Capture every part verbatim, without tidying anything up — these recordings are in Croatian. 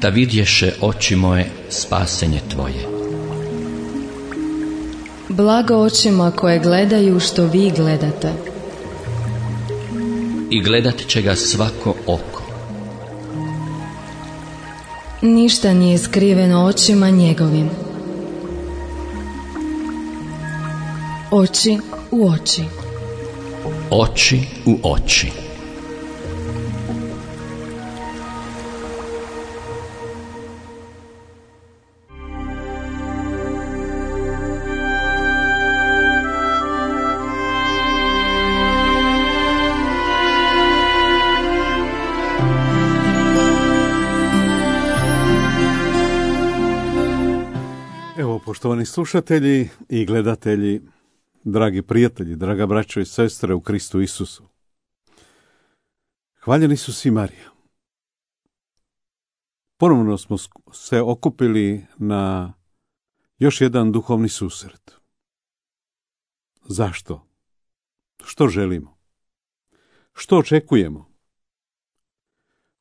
da vidješe oči moje spasenje tvoje. Blago očima koje gledaju što vi gledate. I gledat će ga svako oko. Ništa nije skriveno očima njegovim. Oči u oči. Oči u oči. Evo, poštovani slušatelji i gledatelji, dragi prijatelji, draga braćo i sestre u Kristu Isusu. Hvaljen Isus i Marija. Ponovno smo se okupili na još jedan duhovni susret. Zašto? Što želimo? Što očekujemo?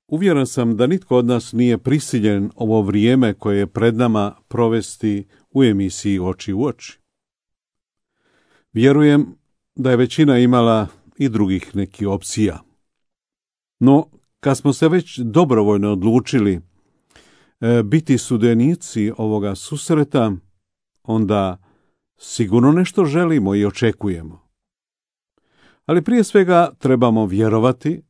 Uvjeren sam da nitko od nas nije prisiljen ovo vrijeme koje je pred nama provesti u emisiji Oči u oči. Vjerujem da je većina imala i drugih nekih opcija. No, kad smo se već dobrovoljno odlučili e, biti sudionici ovoga susreta, onda sigurno nešto želimo i očekujemo. Ali prije svega trebamo vjerovati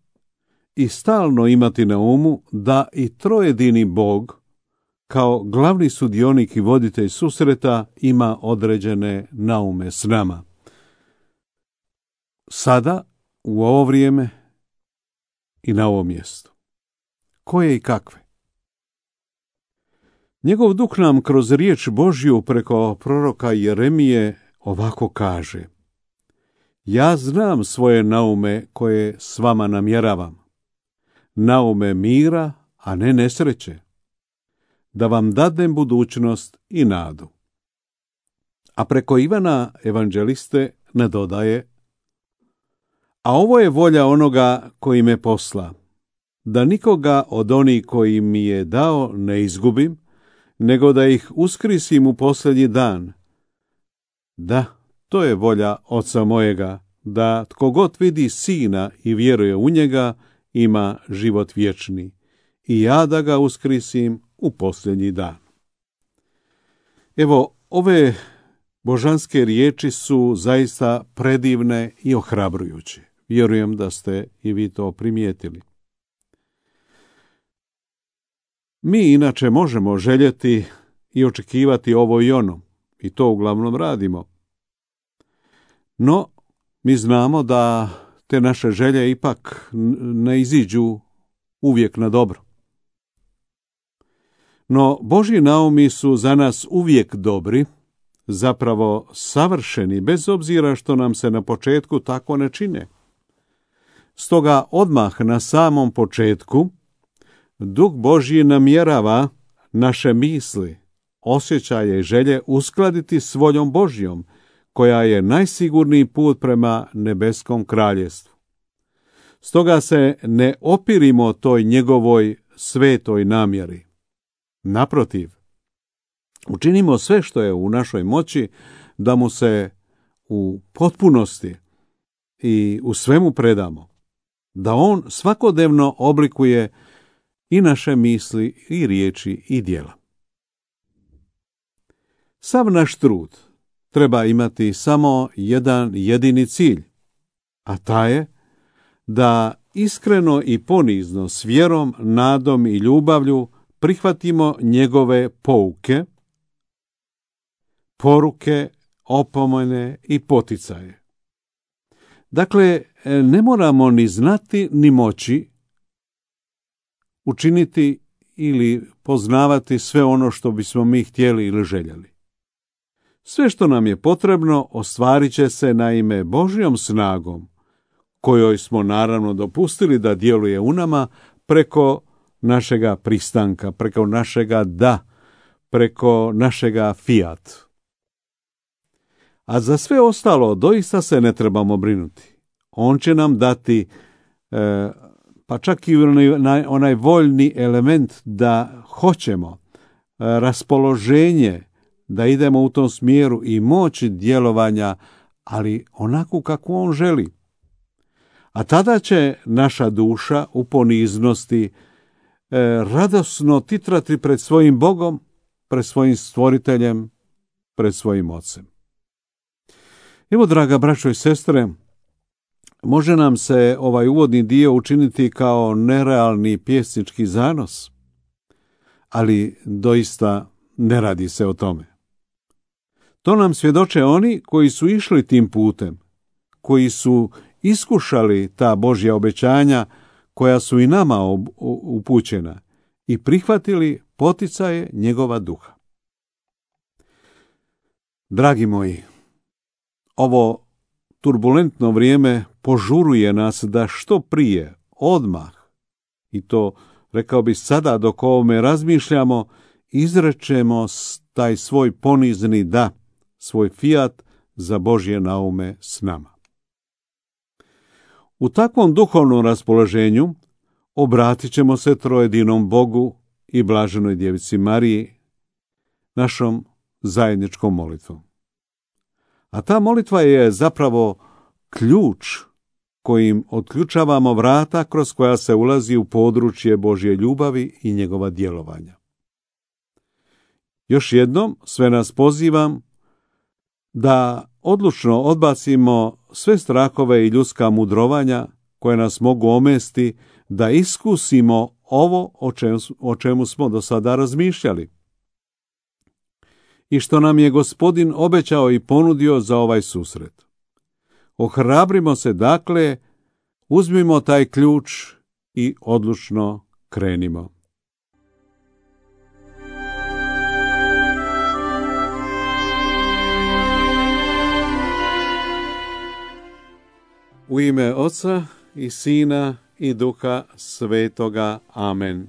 i stalno imati na umu da i trojedini Bog, kao glavni sudionik i voditelj susreta, ima određene naume s nama. Sada, u ovo vrijeme i na ovom mjestu. Koje i kakve? Njegov duh nam kroz riječ Božju preko proroka Jeremije ovako kaže: Ja znam svoje naume koje s vama namjeravam, naume mira, a ne nesreće, da vam dadnem budućnost i nadu. A preko Ivana evanđeliste ne dodaje: A ovo je volja onoga koji me posla, da nikoga od onih koji mi je dao ne izgubim, nego da ih uskrisim u posljednji dan. Da, to je volja Oca mojega, da tko god vidi Sina i vjeruje u njega, ima život vječni, i ja da ga uskrisim u posljednji dan. Evo, ove božanske riječi su zaista predivne i ohrabrujuće. Vjerujem da ste i vi to primijetili. Mi inače možemo željeti i očekivati ovo i ono, i to uglavnom radimo. No, mi znamo da te naše želje ipak ne iziđu uvijek na dobro. No, Božji naumi su za nas uvijek dobri, zapravo savršeni, bez obzira što nam se na početku tako ne čine. Stoga odmah na samom početku Duh Božji namjerava naše misli, osjećaje i želje uskladiti s voljom Božjom, koja je najsigurniji put prema nebeskom kraljestvu. Stoga se ne opirimo toj njegovoj svetoj namjeri. Naprotiv, učinimo sve što je u našoj moći da mu se u potpunosti i u svemu predamo, da on svakodnevno oblikuje i naše misli i riječi i djela. Sav naš trud treba imati samo jedan jedini cilj, a taj je da iskreno i ponizno s vjerom, nadom i ljubavlju prihvatimo njegove pouke, poruke, opomene i poticaje. Dakle, ne moramo ni znati ni moći učiniti ili poznavati sve ono što bismo mi htjeli ili željeli. Sve što nam je potrebno ostvarit će se naime Božjom snagom, kojoj smo naravno dopustili da djeluje u nama preko našega pristanka, preko našega da, preko našega fiat. A za sve ostalo doista se ne trebamo brinuti. On će nam dati, e, pa čak i onaj, onaj voljni element da hoćemo, raspoloženje da idemo u tom smjeru i moć djelovanja, ali onako kako on želi. A tada će naša duša u poniznosti radosno titrati pred svojim Bogom, pred svojim stvoriteljem, pred svojim ocem. Evo, draga braćo i sestre, može nam se ovaj uvodni dio učiniti kao nerealni pjesnički zanos, ali doista ne radi se o tome. To nam svjedoče oni koji su išli tim putem, koji su iskušali ta Božja obećanja koja su i nama upućena i prihvatili poticaje njegova duha. Dragi moji, ovo turbulentno vrijeme požuruje nas da što prije, odmah, i to rekao bi sada dok o ovome razmišljamo, izrečemo taj svoj ponizni da, svoj fiat za Božje naume s nama. U takvom duhovnom raspoloženju obratit ćemo se trojedinom Bogu i blaženoj djevici Mariji, našom zajedničkom molitvom. A ta molitva je zapravo ključ kojim otključavamo vrata kroz koja se ulazi u područje Božje ljubavi i njegova djelovanja. Još jednom sve nas pozivam da odlučno odbacimo sve strahove i ljudska mudrovanja koje nas mogu omesti, da iskusimo ovo o čemu, o čemu smo do sada razmišljali i što nam je Gospodin obećao i ponudio za ovaj susret. Ohrabrimo se dakle, uzmimo taj ključ i odlučno krenimo. U ime Oca i Sina i Duha Svetoga. Amen.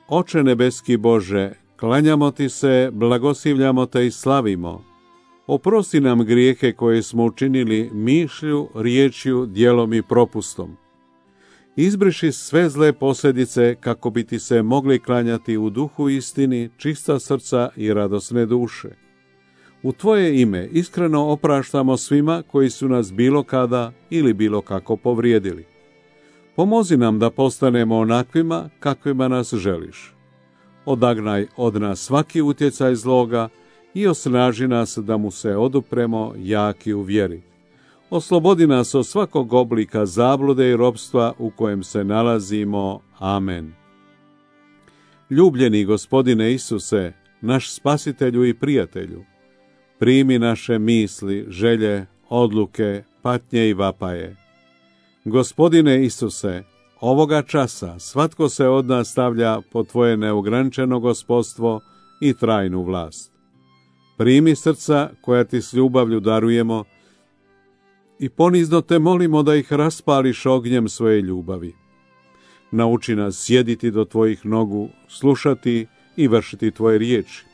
Oče nebeski Bože, klanjamo ti se, blagoslivljamo te i slavimo. Oprosti nam grijehe koje smo učinili mišlju, riječju, djelom i propustom. Izbriši sve zle posljedice kako bi ti se mogli klanjati u duhu istini, čista srca i radosne duše. U tvoje ime iskreno opraštamo svima koji su nas bilo kada ili bilo kako povrijedili. Pomozi nam da postanemo onakvima kakvima nas želiš. Odagnaj od nas svaki utjecaj zloga i osnaži nas da mu se odupremo jaki u vjeri. Oslobodi nas od svakog oblika zablude i ropstva u kojem se nalazimo. Amen. Ljubljeni Gospodine Isuse, naš spasitelju i prijatelju, primi naše misli, želje, odluke, patnje i vapaje. Gospodine Isuse, ovoga časa svatko se od nas stavlja pod tvoje neograničeno gospodstvo i trajnu vlast. Primi srca koja ti s ljubavlju darujemo i ponizno te molimo da ih raspališ ognjem svoje ljubavi. Nauči nas sjediti do tvojih nogu, slušati i vršiti tvoje riječi.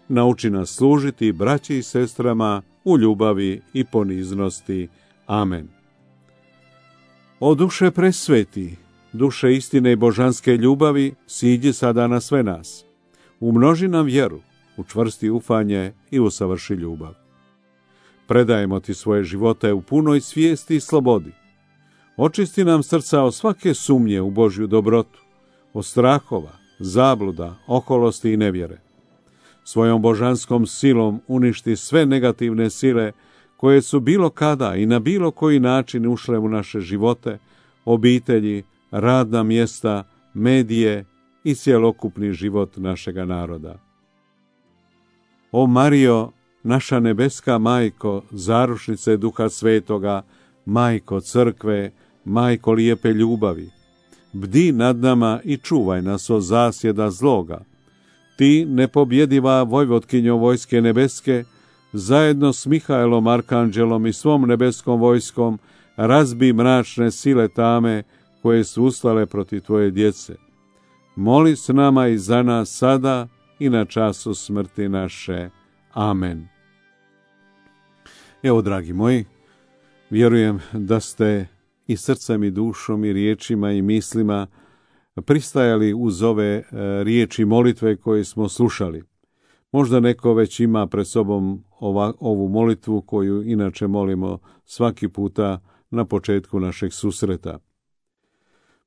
Nauči nas služiti braći i sestrama u ljubavi i poniznosti. Amen. O duše presveti, duše istine i božanske ljubavi, siđi sada na sve nas. Umnoži nam vjeru, učvrsti ufanje i usavrši ljubav. Predajemo ti svoje živote u punoj svijesti i slobodi. Očisti nam srca od svake sumnje u Božju dobrotu, od strahova, zabluda, oholosti i nevjere. Svojom božanskom silom uništi sve negativne sile koje su bilo kada i na bilo koji način ušle u naše živote, obitelji, radna mjesta, medije i cjelokupni život našega naroda. O Marijo, naša nebeska majko, zarušnice Duha Svetoga, majko crkve, majko lijepe ljubavi, bdi nad nama i čuvaj nas od zasjeda zloga. Ti, nepobjediva vojvotkinjo vojske nebeske, zajedno s Mihajlom Arkanđelom i svom nebeskom vojskom, razbi mračne sile tame koje su ustale protiv tvoje djece. Moli s nama i za nas sada i na času smrti naše. Amen. Evo, dragi moji, vjerujem da ste i srcem i dušom i riječima i mislima pristajali uz ove riječi molitve koje smo slušali. Možda neko već ima pred sobom ova, ovu molitvu koju inače molimo svaki puta na početku našeg susreta.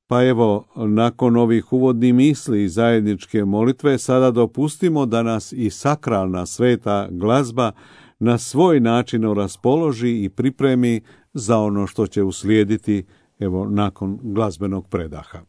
Pa evo, nakon ovih uvodnih misli i zajedničke molitve, sada dopustimo da nas i sakralna sveta glazba na svoj način raspoloži i pripremi za ono što će uslijediti, evo, nakon glazbenog predaha.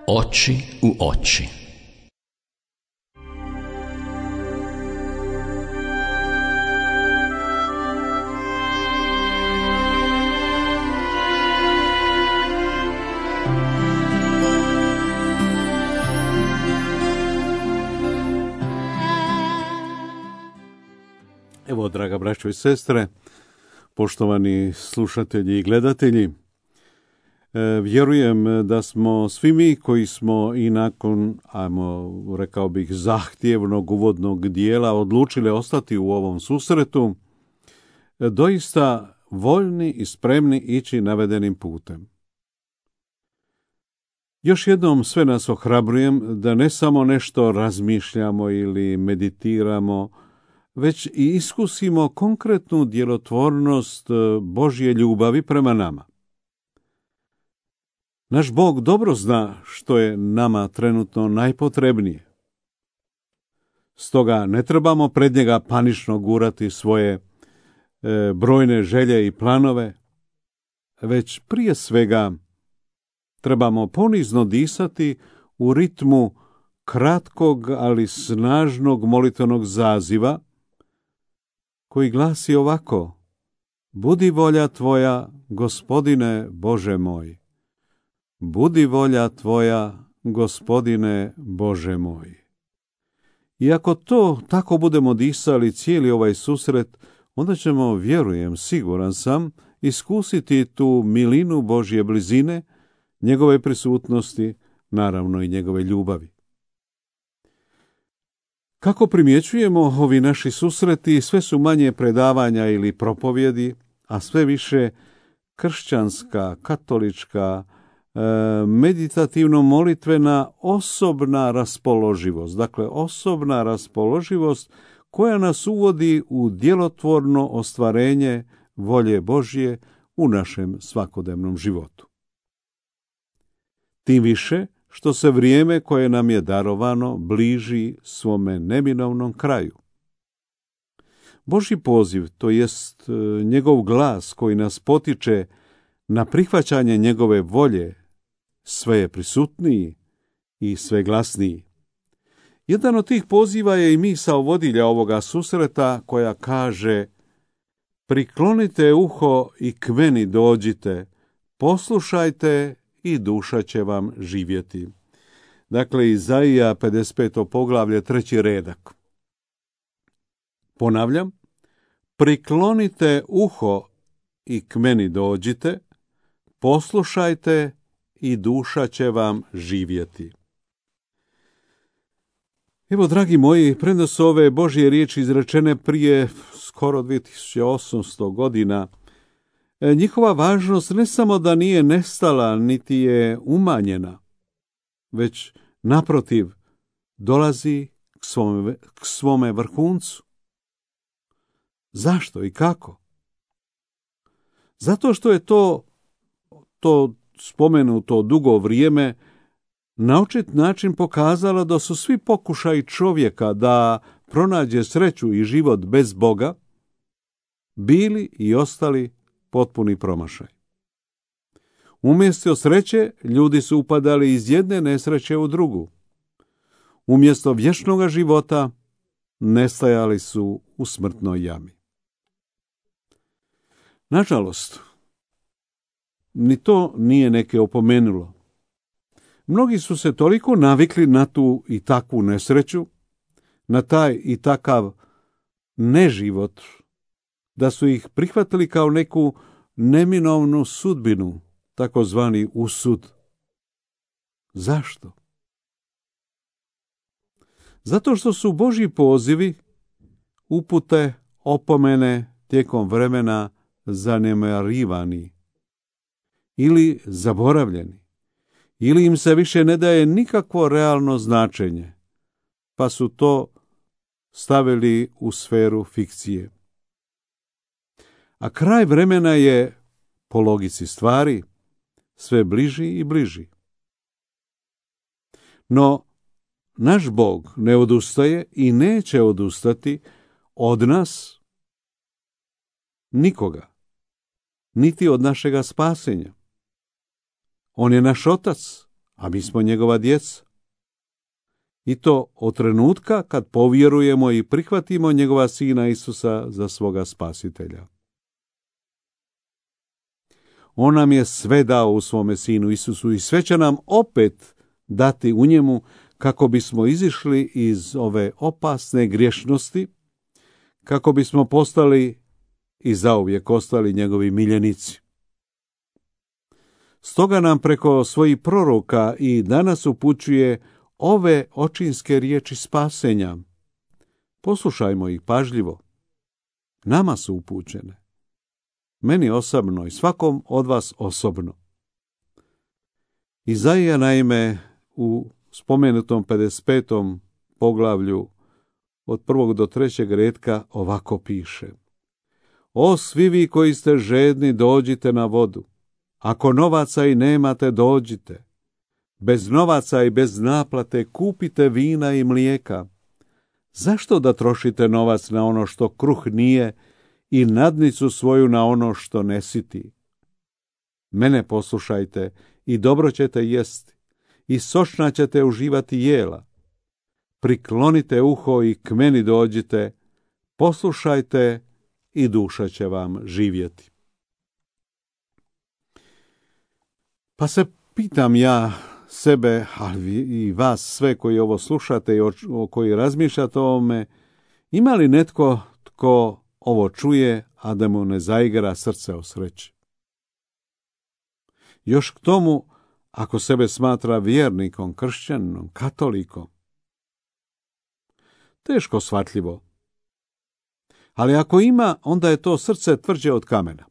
Oči u oči. Evo, draga braćo i sestre, poštovani slušatelji i gledatelji, vjerujem da smo svi mi koji smo i nakon, ajmo, rekao bih, zahtjevnog uvodnog dijela odlučili ostati u ovom susretu, doista voljni i spremni ići navedenim putem. Još jednom sve nas ohrabrujem da ne samo nešto razmišljamo ili meditiramo, već i iskusimo konkretnu djelotvornost Božje ljubavi prema nama. Naš Bog dobro zna što je nama trenutno najpotrebnije. Stoga ne trebamo pred njega panično gurati svoje e, brojne želje i planove, već prije svega trebamo ponizno disati u ritmu kratkog, ali snažnog molitvenog zaziva, koji glasi ovako: Budi volja tvoja, Gospodine Bože moj. Budi volja tvoja, Gospodine Bože moj. I ako to tako budemo disali cijeli ovaj susret, onda ćemo, vjerujem, siguran sam, iskusiti tu milinu Božje blizine, njegove prisutnosti, naravno i njegove ljubavi. Kako primjećujemo, ovi naši susreti sve su manje predavanja ili propovjedi, a sve više kršćanska, katolička, meditativno-molitvena osobna raspoloživost. Dakle, osobna raspoloživost koja nas uvodi u djelotvorno ostvarenje volje Božje u našem svakodnevnom životu. Tim više što se vrijeme koje nam je darovano bliži svome neminovnom kraju. Božji poziv, to jest njegov glas koji nas potiče na prihvaćanje njegove volje, sve je prisutniji i sve glasniji. Jedan od tih poziva je i misao vodilja ovoga susreta koja kaže: priklonite uho i k meni dođite, poslušajte i duša će vam živjeti. Dakle, Izaija pedeset peto poglavlje, treći redak. Ponavljam, priklonite uho i k meni dođite, poslušajte i duša će vam živjeti. Evo, dragi moji, premda su ove Božje riječi izrečene prije skoro dvije tisuće osamsto godina, njihova važnost ne samo da nije nestala, niti je umanjena, već naprotiv dolazi k svome, k svome vrhuncu. Zašto i kako? Zato što je to, to spomenuto dugo vrijeme na očit način pokazalo da su svi pokušaji čovjeka da pronađe sreću i život bez Boga bili i ostali potpuni promašaj. Umjesto sreće, ljudi su upadali iz jedne nesreće u drugu. Umjesto vječnoga života, nestajali su u smrtnoj jami. Nažalost, ni to nije neke opomenulo. Mnogi su se toliko navikli na tu i takvu nesreću, na taj i takav neživot, da su ih prihvatili kao neku neminovnu sudbinu, takozvani usud. Zašto? Zato što su Božji pozivi, upute, opomene tijekom vremena zanemarivani ili zaboravljeni, ili im se više ne daje nikakvo realno značenje, pa su to stavili u sferu fikcije. A kraj vremena je, po logici stvari, sve bliži i bliži. No, naš Bog ne odustaje i neće odustati od nas nikoga, niti od našega spasenja. On je naš otac, a mi smo njegova djeca. I to od trenutka kad povjerujemo i prihvatimo njegova sina Isusa za svoga spasitelja. On nam je sve dao u svome sinu Isusu i sve će nam opet dati u njemu kako bismo izišli iz ove opasne griješnosti, kako bismo postali i zauvijek ostali njegovi miljenici. Stoga nam preko svojih proroka i danas upućuje ove očinske riječi spasenja. Poslušajmo ih pažljivo. Nama su upućene. Meni osobno i svakom od vas osobno. Izaija naime u spomenutom pedeset petom poglavlju od prvog do trećeg retka ovako piše: O svi vi koji ste žedni, dođite na vodu. Ako novaca i nemate, dođite. Bez novaca i bez naplate kupite vina i mlijeka. Zašto da trošite novac na ono što kruh nije i nadnicu svoju na ono što ne siti? Mene poslušajte i dobro ćete jesti i sočna ćete uživati jela. Priklonite uho i k meni dođite, poslušajte i duša će vam živjeti. Pa se pitam ja sebe, ali i vas sve koji ovo slušate i o, o koji razmišljate o ovome, ima li netko tko ovo čuje, a da mu ne zaigra srce o sreći? Još k tomu, ako sebe smatra vjernikom, kršćaninom, katolikom. Teško shvatljivo. Ali ako ima, onda je to srce tvrđe od kamena.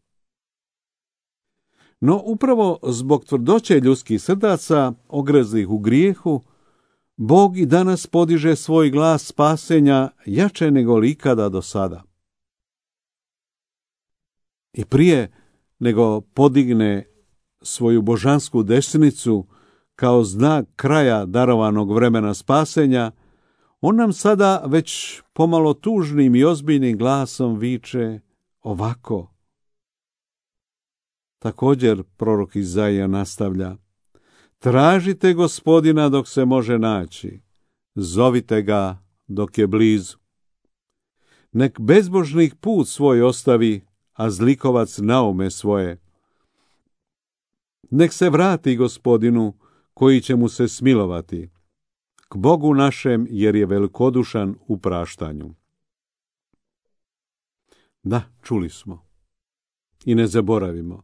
No upravo zbog tvrdoće ljudskih srdaca, ogrezlih u grijehu, Bog i danas podiže svoj glas spasenja jače nego li ikada do sada. I prije nego podigne svoju božansku desnicu kao znak kraja darovanog vremena spasenja, on nam sada već pomalo tužnim i ozbiljnim glasom viče ovako. Također prorok Izaija nastavlja: tražite Gospodina dok se može naći, zovite ga dok je blizu. Nek bezbožnik put svoj ostavi, a zlikovac naume svoje. Nek se vrati Gospodinu, koji će mu se smilovati, k Bogu našem, jer je velikodušan u praštanju. Da, čuli smo. I ne zaboravimo.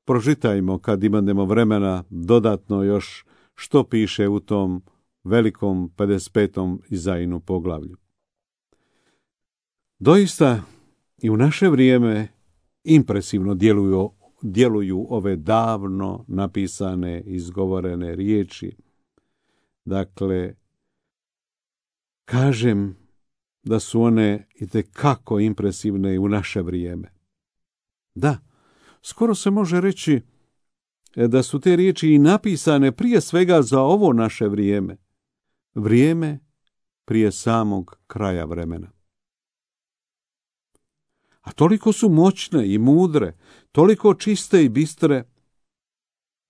Pročitajmo, kad imamo vremena, dodatno još što piše u tom velikom pedeset petom Izajinu poglavlju. Doista i u naše vrijeme impresivno djeluju, djeluju ove davno napisane, izgovorene riječi. Dakle, kažem da su one itekako impresivne i u naše vrijeme. Da, skoro se može reći da su te riječi i napisane prije svega za ovo naše vrijeme. Vrijeme prije samog kraja vremena. A toliko su moćne i mudre, toliko čiste i bistre,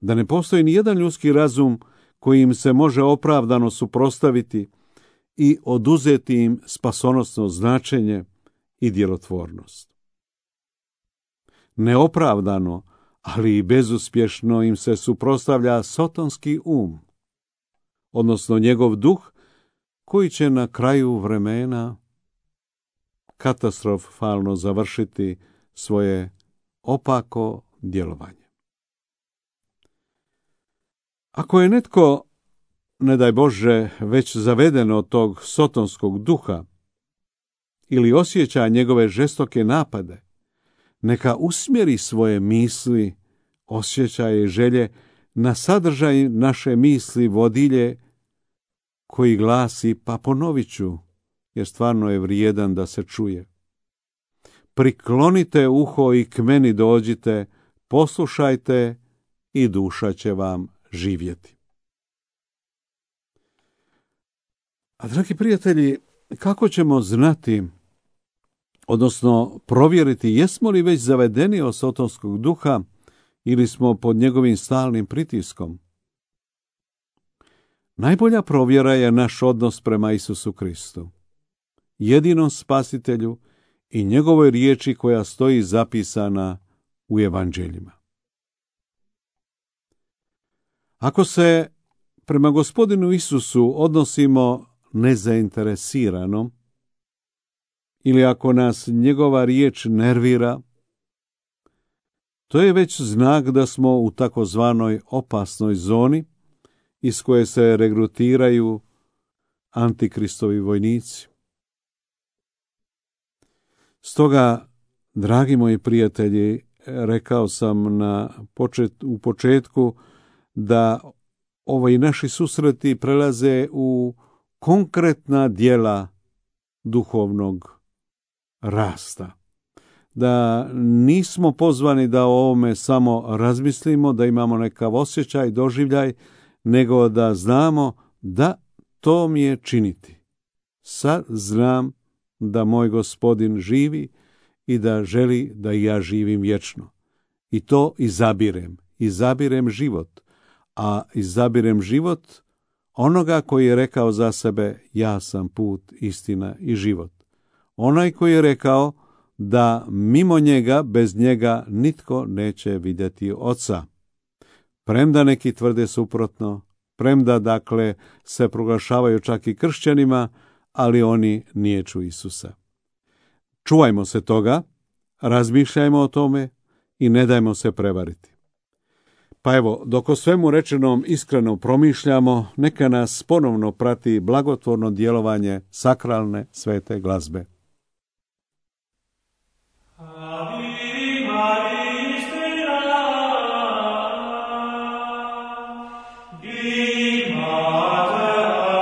da ne postoji ni jedan ljudski razum koji im se može opravdano suprotstaviti i oduzeti im spasonosno značenje i djelotvornost. Neopravdano, ali i bezuspješno im se suprotstavlja sotonski um, odnosno njegov duh, koji će na kraju vremena katastrofalno završiti svoje opako djelovanje. Ako je netko, ne daj Bože, već zaveden od tog sotonskog duha ili osjeća njegove žestoke napade, neka usmjeri svoje misli, osjećaje i želje na sadržaj naše misli vodilje koji glasi, pa ponovit ću, jer stvarno je vrijedan da se čuje. Priklonite uho i k meni dođite, poslušajte i duša će vam živjeti. A dragi prijatelji, kako ćemo znati, odnosno provjeriti jesmo li već zavedeni od sotonskog duha ili smo pod njegovim stalnim pritiskom? Najbolja provjera je naš odnos prema Isusu Kristu, jedinom spasitelju i njegovoj riječi koja stoji zapisana u evanđeljima. Ako se prema Gospodinu Isusu odnosimo nezainteresirano, ili ako nas njegova riječ nervira, to je već znak da smo u takozvanoj opasnoj zoni iz koje se regrutiraju antikristovi vojnici. Stoga, dragi moji prijatelji, rekao sam na počet, u početku da ovi naši susreti prelaze u konkretna djela duhovnog rasta. Da nismo pozvani da o ovome samo razmislimo, da imamo nekav osjećaj, doživljaj, nego da znamo da to mi je činiti. Sad znam da moj Gospodin živi i da želi da i ja živim vječno. I to izabirem. Izabirem život. A izabirem život onoga koji je rekao za sebe, ja sam put, istina i život. Onaj koji je rekao da mimo njega, bez njega, nitko neće vidjeti Oca. Premda neki tvrde suprotno, premda dakle se proglašavaju čak i kršćanima, ali oni niječu Isusa. Čuvajmo se toga, razmišljajmo o tome i ne dajmo se prevariti. Pa evo, dok o svemu rečenom iskreno promišljamo, neka nas ponovno prati blagotvorno djelovanje sakralne svete glazbe. Di mater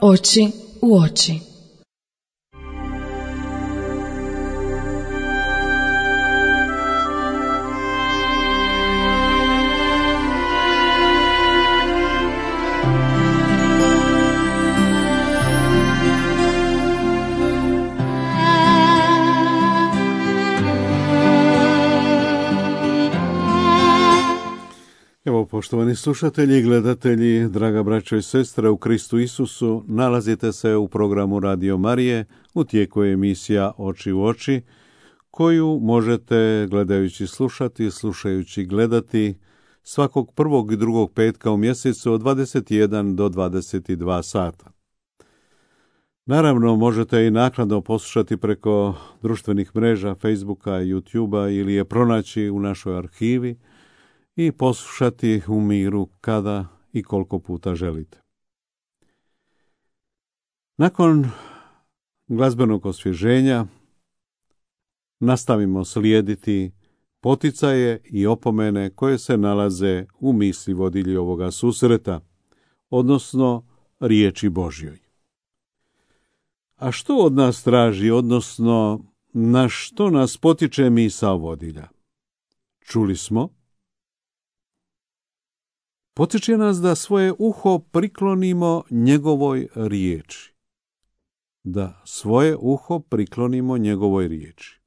Oči u oči. Evo, poštovani slušatelji i gledatelji, draga braćo i sestre u Kristu Isusu, nalazite se u programu Radio Marije, u tijeku je emisija Oči u oči, koju možete gledajući slušati, slušajući gledati svakog prvog i drugog petka u mjesecu od dvadeset jedan do dvadeset dva sata. Naravno, možete i naknadno poslušati preko društvenih mreža, Facebooka, YouTubea ili je pronaći u našoj arhivi i poslušati u miru kada i koliko puta želite. Nakon glazbenog osvježenja nastavimo slijediti poticaje i opomene koje se nalaze u misli vodilji ovoga susreta, odnosno riječi Božjoj. A što od nas traži, odnosno na što nas potiče misao vodilja? Čuli smo, potiče nas da svoje uho priklonimo njegovoj riječi. Da svoje uho priklonimo njegovoj riječi.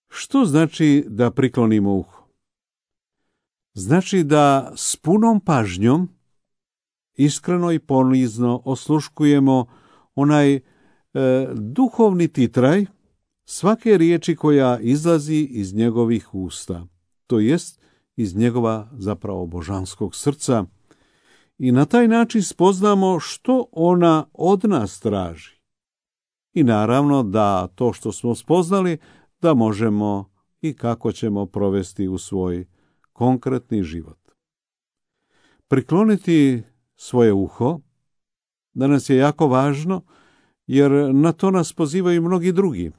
Što znači da priklonimo uho? Znači da s punom pažnjom, iskreno i ponizno osluškujemo onaj e, duhovni titraj svake riječi koja izlazi iz njegovih usta, to jest iz njegova zapravo božanskog srca, i na taj način spoznamo što ona od nas traži. I naravno da to što smo spoznali da možemo i kako ćemo provesti u svoj konkretni život. Prikloniti svoje uho danas je jako važno, jer na to nas pozivaju mnogi drugi.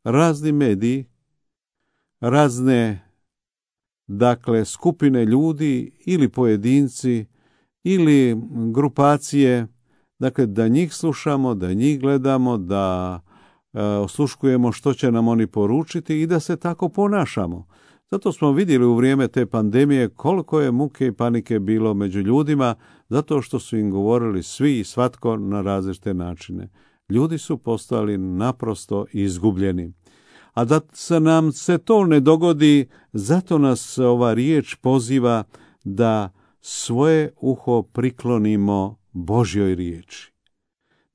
Razni mediji, razne dakle skupine ljudi ili pojedinci ili grupacije, dakle da njih slušamo, da njih gledamo, da e, osluškujemo što će nam oni poručiti i da se tako ponašamo. Zato smo vidjeli u vrijeme te pandemije koliko je muke i panike bilo među ljudima, zato što su im govorili svi i svatko na različite načine. Ljudi su postali naprosto izgubljeni. A da se nam se to ne dogodi, zato nas ova riječ poziva da svoje uho priklonimo Božjoj riječi.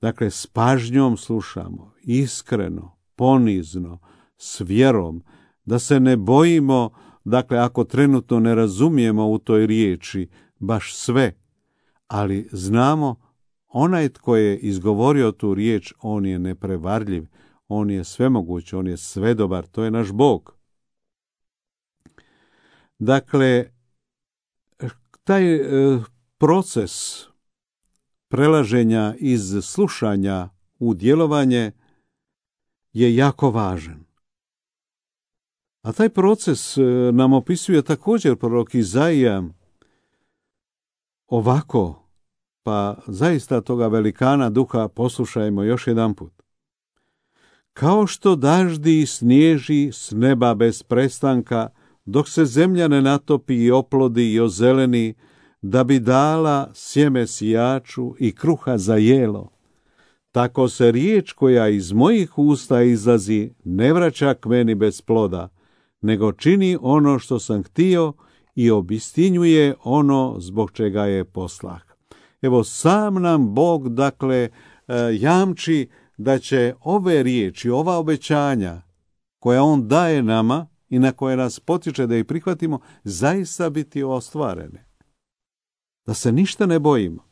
Dakle, s pažnjom slušamo, iskreno, ponizno, s vjerom, da se ne bojimo, dakle, ako trenutno ne razumijemo u toj riječi baš sve, ali znamo, onaj tko je izgovorio tu riječ, on je neprevarljiv, on je svemoguć, on je svedobar, to je naš Bog. Dakle, taj e, proces prelaženja iz slušanja u djelovanje je jako važan. A taj proces e, nam opisuje također prorok Izaija ovako, pa zaista toga velikana duha poslušajmo još jedan put. Kao što daždi snježi s neba bez prestanka, dok se zemlja ne natopi i oplodi i ozeleni, da bi dala sjeme sijaču i kruha za jelo, tako se riječ koja iz mojih usta izlazi ne vraća k meni bez ploda, nego čini ono što sam htio i obistinjuje ono zbog čega je poslah. Evo, sam nam Bog, dakle, jamči da će ove riječi, ova obećanja koja on daje nama i na koje nas potiče da ih prihvatimo, zaista biti ostvarene. Da se ništa ne bojimo.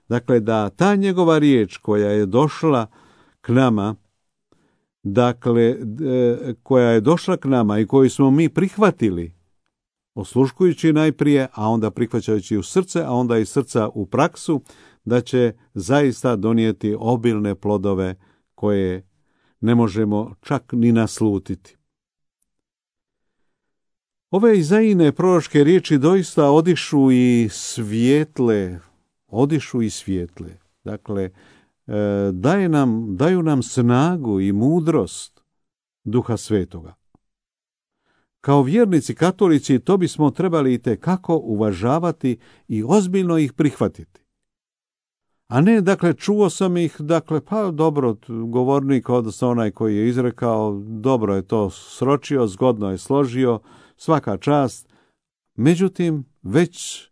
Dakle, da ta njegova riječ koja je došla k nama, dakle, koja je došla k nama i koju smo mi prihvatili, osluškujući najprije, a onda prihvaćajući u srce, a onda i srca u praksu, da će zaista donijeti obilne plodove koje ne možemo čak ni naslutiti. Ove Izaijine proročke riječi doista odišu i svijetle, odišu i svijetle. Dakle, daje nam, daju nam snagu i mudrost Duha Svetoga. Kao vjernici katolici to bismo trebali itekako uvažavati i ozbiljno ih prihvatiti. A ne, dakle, čuo sam ih, dakle, pa dobro, govornik, odnosno onaj koji je izrekao, dobro je to sročio, zgodno je složio, svaka čast. Međutim, već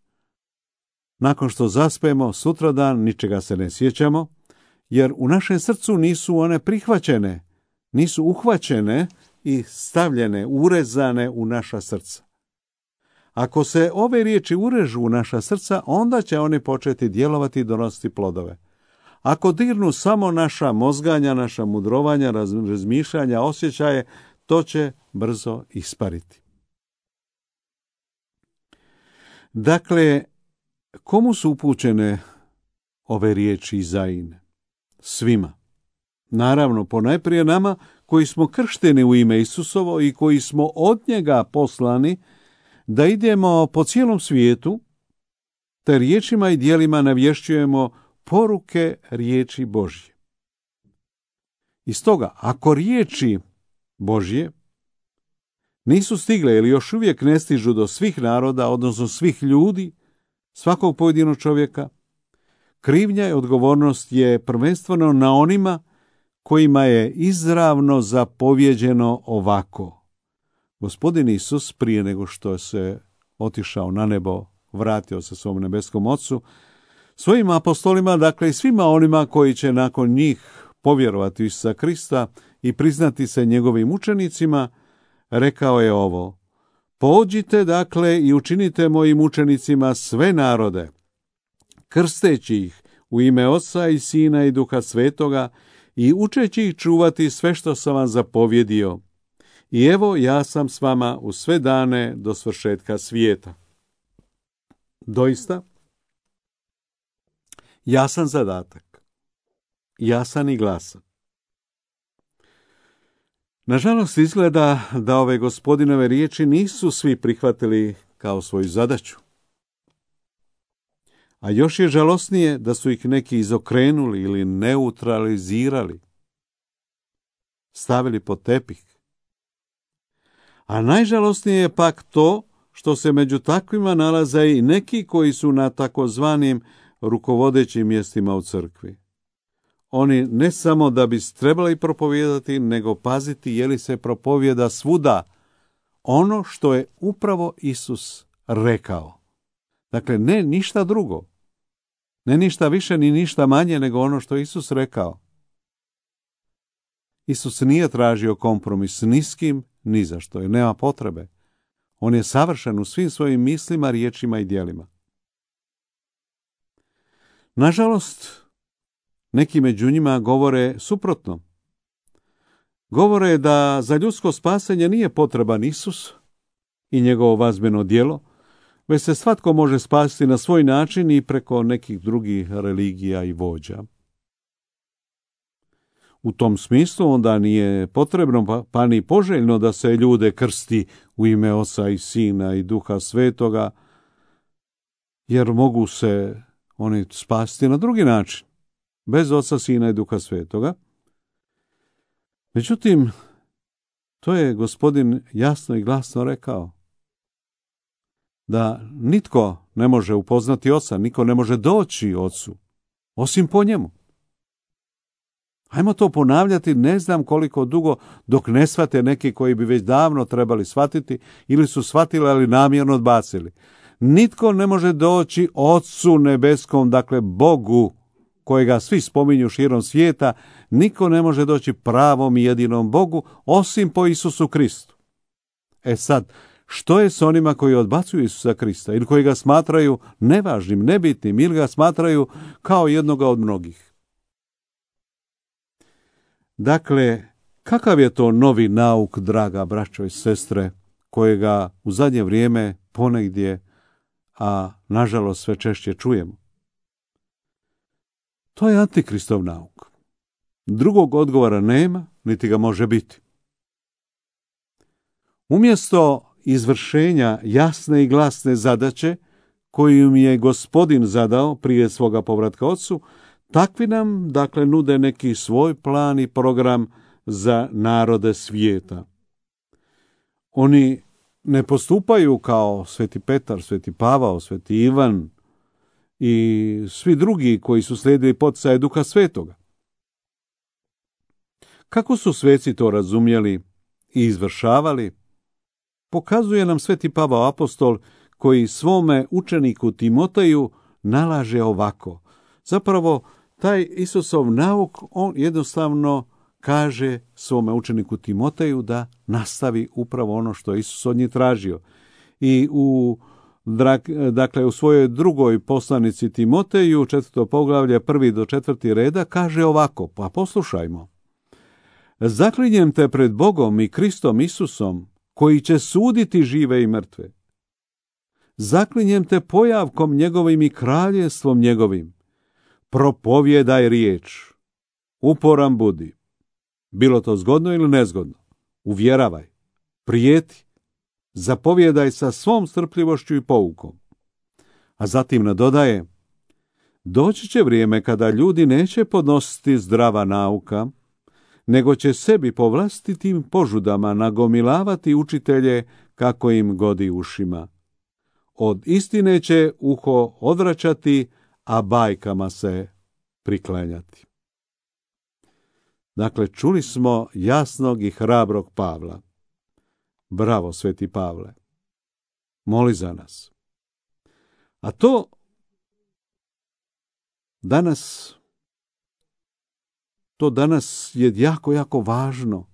nakon što zaspemo, sutradan ničega se ne sjećamo, jer u našem srcu nisu one prihvaćene, nisu uhvaćene i stavljene, urezane u naša srca. Ako se ove riječi urežu u naša srca, onda će oni početi djelovati i donositi plodove. Ako dirnu samo naša mozganja, naša mudrovanja, razmišljanja, osjećaje, to će brzo ispariti. Dakle, komu su upućene ove riječi Izaijine? Svima. Naravno, ponajprije nama koji smo kršteni u ime Isusovo i koji smo od njega poslani da idemo po cijelom svijetu, te riječima i djelima navješćujemo poruke riječi Božje. I stoga, ako riječi Božje nisu stigle ili još uvijek ne stižu do svih naroda, odnosno svih ljudi, svakog pojedinog čovjeka, krivnja i odgovornost je prvenstveno na onima kojima je izravno zapovjeđeno ovako. Gospodin Isus, prije nego što se otišao na nebo, vratio se svom nebeskom Ocu, svojim apostolima, dakle i svima onima koji će nakon njih povjerovati u Isusa Krista i priznati se njegovim učenicima, rekao je ovo: pođite dakle i učinite mojim učenicima sve narode, krsteći ih u ime Oca i Sina i Duha Svetoga i učeći ih čuvati sve što sam vam zapovjedio. I evo, ja sam s vama u sve dane do svršetka svijeta. Doista, jasan zadatak, jasan i glasan. Nažalost, izgleda da ove Gospodinove riječi nisu svi prihvatili kao svoju zadaću. A još je žalosnije da su ih neki izokrenuli ili neutralizirali, stavili pod tepih. A najžalosnije je pak to što se među takvima nalaze i neki koji su na takozvanim rukovodećim mjestima u crkvi. Oni ne samo da bi trebali propovijedati, nego paziti je li se propovijeda svuda ono što je upravo Isus rekao. Dakle, ne ništa drugo. Ne ništa više ni ništa manje nego ono što je Isus rekao. Isus nije tražio kompromis ni s kim, ni za što, jer nema potrebe. On je savršen u svim svojim mislima, riječima i djelima. Nažalost, neki među njima govore suprotno. Govore da za ljudsko spasenje nije potreban Isus i njegovo vazbeno djelo, već se svatko može spasiti na svoj način i preko nekih drugih religija i vođa. U tom smislu onda nije potrebno pa, pa ni poželjno da se ljude krsti u ime Oca i Sina i Duha Svetoga, jer mogu se oni spasiti na drugi način, bez Oca, Sina i Duha Svetoga. Međutim, to je Gospodin jasno i glasno rekao, da nitko ne može upoznati Oca, niko ne može doći Ocu, osim po njemu. Hajmo to ponavljati, ne znam koliko dugo, dok ne shvate neki koji bi već davno trebali shvatiti, ili su shvatili, ali namjerno odbacili. Nitko ne može doći Ocu nebeskom, dakle Bogu, kojega svi spominju širom svijeta, niko ne može doći pravom i jedinom Bogu, osim po Isusu Kristu. E sad, što je s onima koji odbacuju Isusa Krista, ili koji ga smatraju nevažnim, nebitnim, ili ga smatraju kao jednoga od mnogih? Dakle, kakav je to novi nauk, draga braćo i sestre, kojega u zadnje vrijeme ponegdje, a nažalost sve češće čujemo? To je antikristov nauk. Drugog odgovora nema, niti ga može biti. Umjesto izvršenja jasne i glasne zadaće koju mi je Gospodin zadao prije svoga povratka Ocu, takvi nam, dakle, nude neki svoj plan i program za narode svijeta. Oni ne postupaju kao Sveti Petar, Sveti Pavao, Sveti Ivan i svi drugi koji su slijedili poticaje Duha Svetoga. Kako su sveci to razumjeli i izvršavali, pokazuje nam Sveti Pavao apostol, koji svome učeniku Timoteju nalaže ovako. Zapravo, taj Isusov nauk, on jednostavno kaže svome učeniku Timoteju da nastavi upravo ono što je Isus od njih tražio. I u, dakle, u svojoj drugoj poslanici Timoteju, četvrto poglavlje, prvi do četvrti reda, kaže ovako, pa poslušajmo. Zaklinjem te pred Bogom i Kristom Isusom, koji će suditi žive i mrtve. Zaklinjem te pojavkom njegovim i kraljevstvom njegovim. Propovjedaj riječ, uporan budi, bilo to zgodno ili nezgodno, uvjeravaj, prijeti, zapovjedaj sa svom strpljivošću i poukom. A zatim nadodaje, doći će vrijeme kada ljudi neće podnositi zdrava nauka, nego će sebi po vlastitim požudama nagomilavati učitelje kako im godi ušima. Od istine će uho odvraćati, a bajkama se priklanjati. Dakle, čuli smo jasnog i hrabrog Pavla. Bravo, Sveti Pavle. Moli za nas. A to danas, to danas je jako, jako važno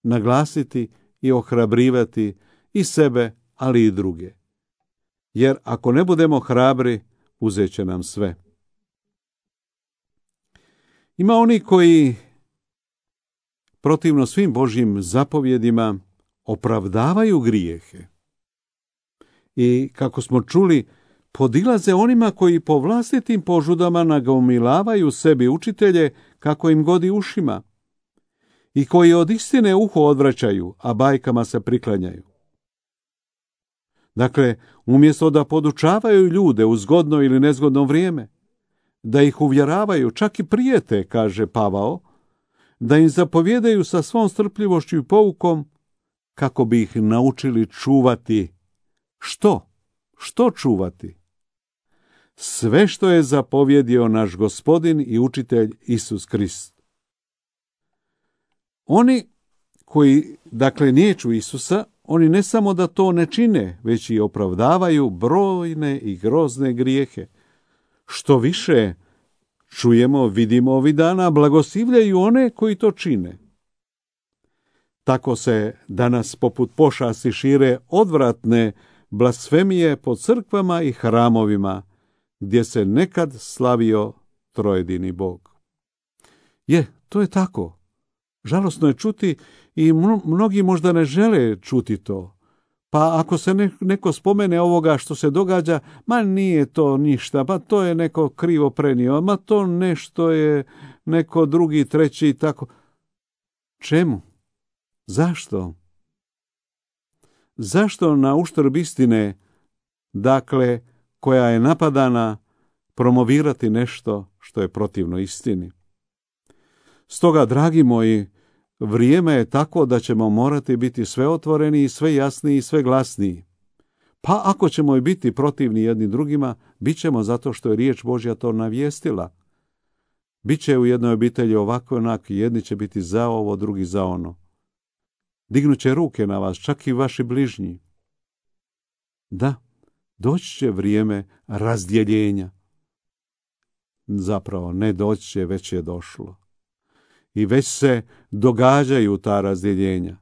naglasiti i ohrabrivati i sebe, ali i druge. Jer ako ne budemo hrabri, uzet će nam sve. Ima oni koji protivno svim Božjim zapovjedima opravdavaju grijehe. I kako smo čuli, podilaze onima koji po vlastitim požudama nagomilavaju sebi učitelje kako im godi ušima i koji od istine uho odvraćaju, a bajkama se priklanjaju. Dakle, umjesto da podučavaju ljude u zgodno ili nezgodno vrijeme, da ih uvjeravaju, čak i prijete, kaže Pavao, da im zapovjedaju sa svom strpljivošću i poukom, kako bi ih naučili čuvati. Što? Što čuvati? Sve što je zapovjedio naš Gospodin i učitelj Isus Krist. Oni koji, dakle, niječu Isusa, oni ne samo da to ne čine, već i opravdavaju brojne i grozne grijehe. Što više, čujemo, vidimo ovih dana, blagoslivljaju one koji to čine. Tako se danas poput pošasti šire odvratne blasfemije po crkvama i hramovima, gdje se nekad slavio trojedini Bog. Je, to je tako. Žalosno je čuti i mnogi možda ne žele čuti to. Pa ako se ne, neko spomene ovoga što se događa, ma nije to ništa, pa to je neko krivo prenio, ma to nešto je neko drugi, treći i tako. Čemu? Zašto? Zašto na uštrb istine, dakle, koja je napadana, promovirati nešto što je protivno istini? Stoga, dragi moji, vrijeme je tako da ćemo morati biti sve otvoreni, sve jasniji i sve glasniji. Pa ako ćemo i biti protivni jedni drugima, bit ćemo zato što je riječ Božja to navijestila. Biće u jednoj obitelji ovako onak, jedni će biti za ovo, drugi za ono. Dignut će ruke na vas, čak i vaši bližnji. Da, doći će vrijeme razdjeljenja. Zapravo, ne doći će, već je došlo. I već se događaju ta razdjeljenja.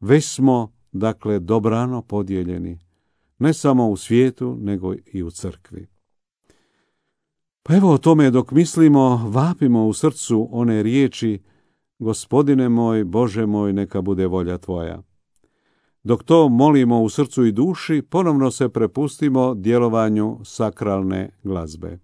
Već smo, dakle, dobrano podijeljeni. Ne samo u svijetu, nego i u crkvi. Pa evo o tome dok mislimo, vapimo u srcu one riječi: Gospodine moj, Bože moj, neka bude volja Tvoja. Dok to molimo u srcu i duši, ponovno se prepustimo djelovanju sakralne glazbe.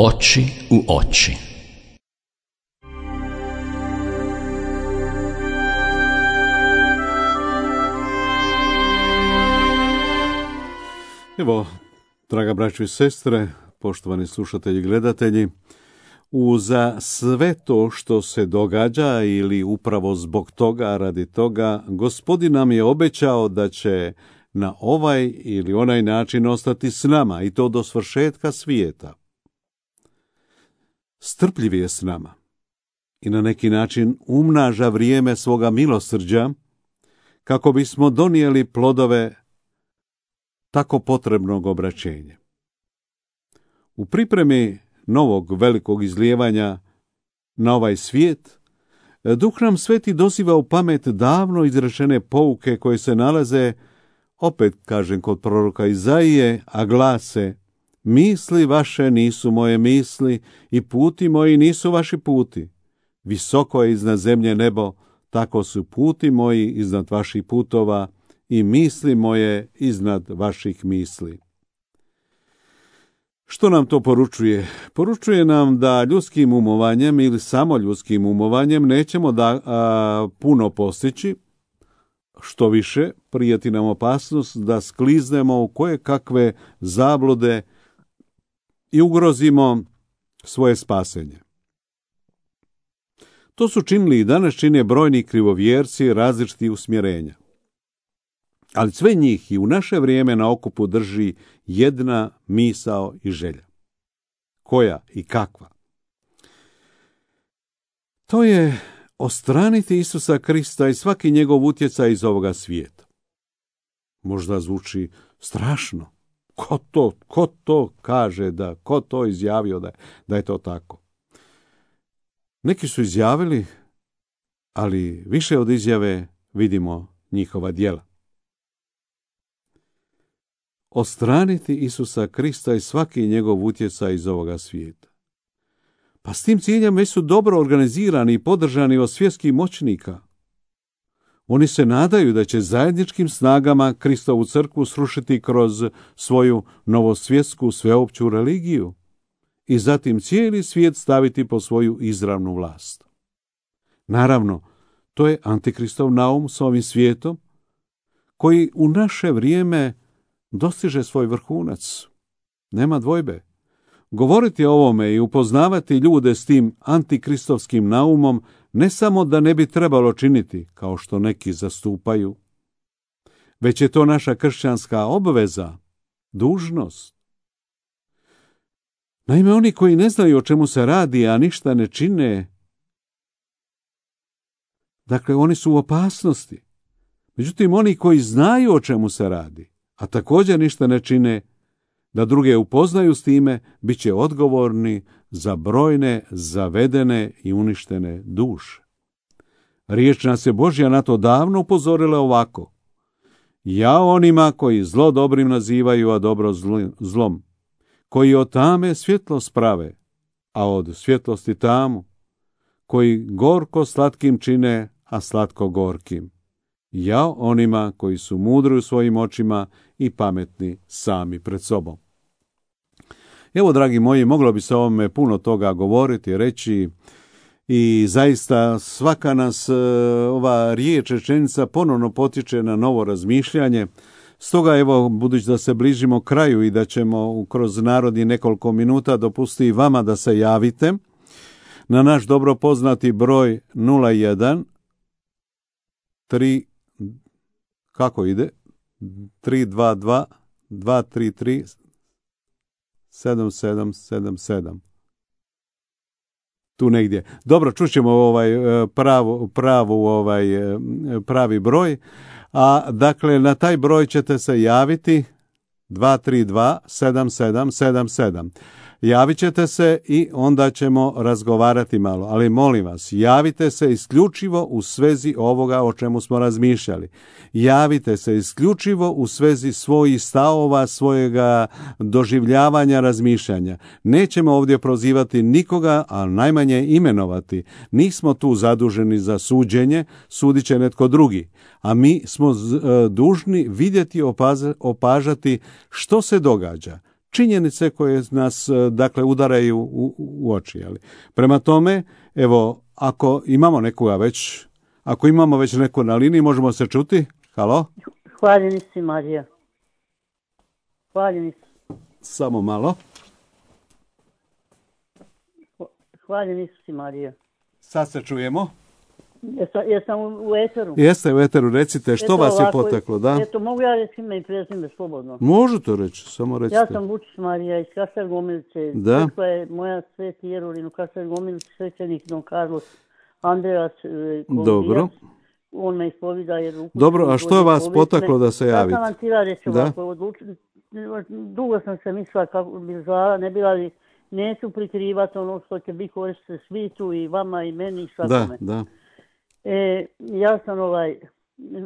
Oči u oči. Evo, draga braćo i sestre, poštovani slušatelji i gledatelji, uza sve to što se događa ili upravo zbog toga, radi toga, Gospodin nam je obećao da će na ovaj ili onaj način ostati s nama i to do svršetka svijeta. Strpljiv je s nama i na neki način umnaža vrijeme svoga milosrđa kako bismo donijeli plodove tako potrebnog obraćenja. U pripremi novog velikog izlijevanja na ovaj svijet, Duh nam Sveti doziva u pamet davno izrečene pouke koje se nalaze, opet kažem, kod proroka Izaije, a glase: misli vaše nisu moje misli i puti moji nisu vaši puti. Visoko je iznad zemlje nebo, tako su puti moji iznad vaših putova i misli moje iznad vaših misli. Što nam to poručuje? Poručuje nam da ljudskim umovanjem ili samo ljudskim umovanjem nećemo da a, puno postići, što više, prijeti nam opasnost da skliznemo u koje kakve zablude i ugrozimo svoje spasenje. To su činili i danas čine brojni krivovjerci različitih usmjerenja. Ali sve njih i u naše vrijeme na okupu drži jedna misao i želja. Koja i kakva? To je odstraniti Isusa Krista i svaki njegov utjecaj iz ovoga svijeta. Možda zvuči strašno. Ko to, ko to kaže, da, ko to izjavio da, da je to tako? Neki su izjavili, ali više od izjave vidimo njihova djela. Odstraniti Isusa Krista i svaki njegov utjecaj iz ovoga svijeta. Pa s tim ciljem već su dobro organizirani i podržani od svjetskih moćnika. Oni se nadaju da će zajedničkim snagama Kristovu crkvu srušiti kroz svoju novosvjetsku sveopću religiju i zatim cijeli svijet staviti po svoju izravnu vlast. Naravno, to je antikristov naum s ovim svijetom, koji u naše vrijeme dostiže svoj vrhunac. Nema dvojbe. Govoriti o ovome i upoznavati ljude s tim antikristovskim naumom ne samo da ne bi trebalo činiti, kao što neki zastupaju, već je to naša kršćanska obveza, dužnost. Naime, oni koji ne znaju o čemu se radi, a ništa ne čine, dakle, oni su u opasnosti. Međutim, oni koji znaju o čemu se radi, a također ništa ne čine, da druge upoznaju s time, bit će odgovorni za brojne, zavedene i uništene duše. Riječ nas je Božja na to davno upozorila ovako: ja onima koji zlo dobrim nazivaju, a dobro zlom, koji od tame svjetlost prave, a od svjetlosti tamu, koji gorko slatkim čine, a slatko gorkim. Ja onima koji su mudri u svojim očima i pametni sami pred sobom. Evo, dragi moji, moglo bi se o ovome puno toga govoriti, reći, i zaista svaka nas ova riječ, rečenica ponovno potiče na novo razmišljanje. Stoga, evo, budući da se bližimo kraju i da ćemo kroz narodni nekoliko minuta dopustiti vama da se javite na naš dobro poznati broj nula jedan tri, kako ide? tri dva dva dva tri tri sedam sedam sedam sedam. Tu negdje. Dobro, čućemo ovaj pravu, pravu ovaj pravi broj. A dakle, na taj broj ćete se javiti dva tri dva sedam sedam sedam sedam. Javit ćete se i onda ćemo razgovarati malo. Ali molim vas, javite se isključivo u svezi ovoga o čemu smo razmišljali. Javite se isključivo u svezi svojih stavova, svojega doživljavanja, razmišljanja. Nećemo ovdje prozivati nikoga, a najmanje imenovati. Nismo tu zaduženi za suđenje, sudit će netko drugi. A mi smo dužni vidjeti, opažati što se događa. Činjenice koje nas, dakle, udaraju u, u oči. Ali. Prema tome, evo, ako imamo nekoga već, ako imamo već neko na liniji, možemo se čuti. Halo? Hvaljeni si, Marija. Hvaljeni si. Samo malo. Hvaljeni si, Marija. Sad se čujemo. Jesam, jesam u eteru. Jeste u eteru, recite, što Eto, vas je ovako, poteklo, da? Eto, mogu ja reći ime i prezime slobodno. Možete reći, samo recite. Ja sam Vučić Marija iz Kasar Gomilice. Da. Crkva je moja Sveti Jerulin u Kasar Gomilice, svećenik Don Carlos Andreas Kolumbijac. Dobro. On me ispovida jer... Dobro, a što je vas potaklo da se javite? Ja sam vam tira reći da? ovako, odlučili, dugo sam se mislila kako bi zvala, ne bila li, neću prikrivati ono što će biti koristiti svitu i vama i meni i svakome. Da, da. E, ja sam ovaj,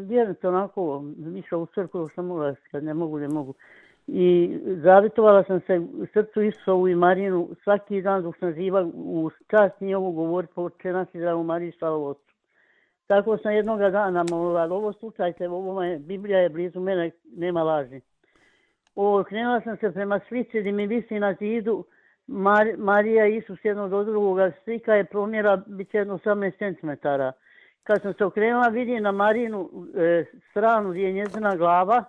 vjerujte onako, išla u crkvu, sam mogla, kad ne mogu, ne mogu. I zavitovala sam se u srcu Isusovu i Marinu svaki dan dok sam živa u čast njihovu govoriti po Oče Zdravu Mariju, slavu Otcu. Tako sam jednoga dana molila, ovo slučajte, ovo je, Biblija je blizu mene, nema laži. O, krenula sam se prema slici gdje mi visi na zidu Mar, Marija i Isus jedno do drugoga, slika je promjera, bit će jedno osamnaest centimetara. Kad sam se okrenula, vidim na Marinu e, stranu gdje je njezina glava.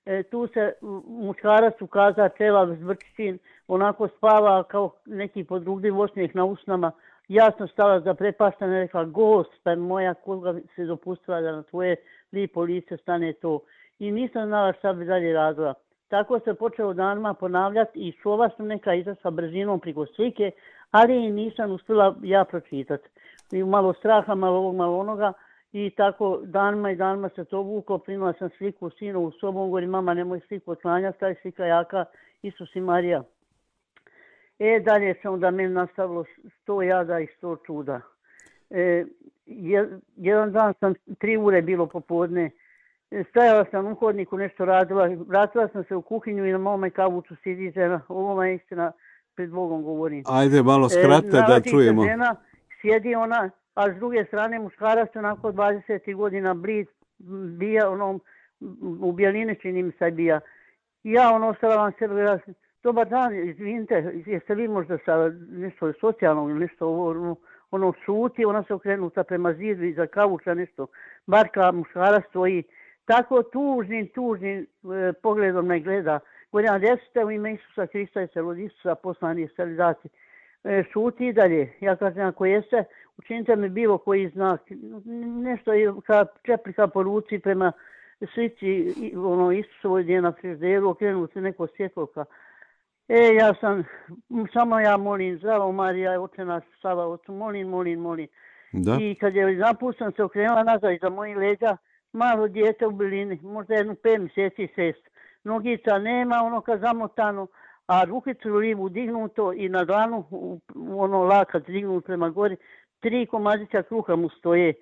E, tu se muškarac ukaza čelav zvrčin, onako spava kao neki podrugljiv osmijeh na usnama. Ja sam stala zaprepaštena i rekla, Gospe moja, koga se dopustila da na tvoje lipo lice stane to. I nisam znala šta bi dalje radila. Tako se počelo danima ponavljati i šova sam neka izašla brzinom priko slike, ali i nisam uspjela ja pročitati. I malo straha, malo ovog, malo onoga. I tako danima i danima se to vuklo, primila sam sliku sinovu sobom, govori, mama nemoj sliku otklanjati, taj slika jaka, Isus i Marija. E, dalje se onda meni nastavilo sto jada i sto čuda. E, jedan dan sam, tri ure bilo popodne, stajala sam u hodniku, nešto radila, vratila sam se u kuhinju i na mome kavuću sidi žena, ovo je istina, pred Bogom govorim. Ajde, malo skratite e, da čujemo. Žena, sjedi ona, a s druge strane muškarac onako dvadeset godina blid, bija onom, u bijeline čini mi se bija. Ja ono ostala vam sebe gledati, dobar dan, izvinite, jeste vi možda sa nešto socijalnog ili nešto ono, ono šuti, ona se okrenuta prema zidu i za kavuća nešto, barka muškarac stoji, tako tužnim, tužnim e, pogledom me gleda. Govorim, desite u ime Isusa Krista i se od Isusa poslani je starizaci. E, šuti i dalje. Ja kažem, ako jeste, učinite mi bilo koji znak. Nešto je ka čeplika po ruci prema slici ono, Isusovoj gdje na frižderu, okrenuti se neko svjetloka. E, ja sam, samo ja molim, zdravo Marija, oče naš, slava ocu, molim, molim, molim. Da. I kad je napustan se okrenula nazad iza mojih leđa, malo dijete u bilini, možda jednu pet mjeseci, šest. Nogica nema, ono kad zamotano, a rukicu livu dignuto i na dlanu, ono lakat dignut prema gori, tri komadića kruha mu stoje.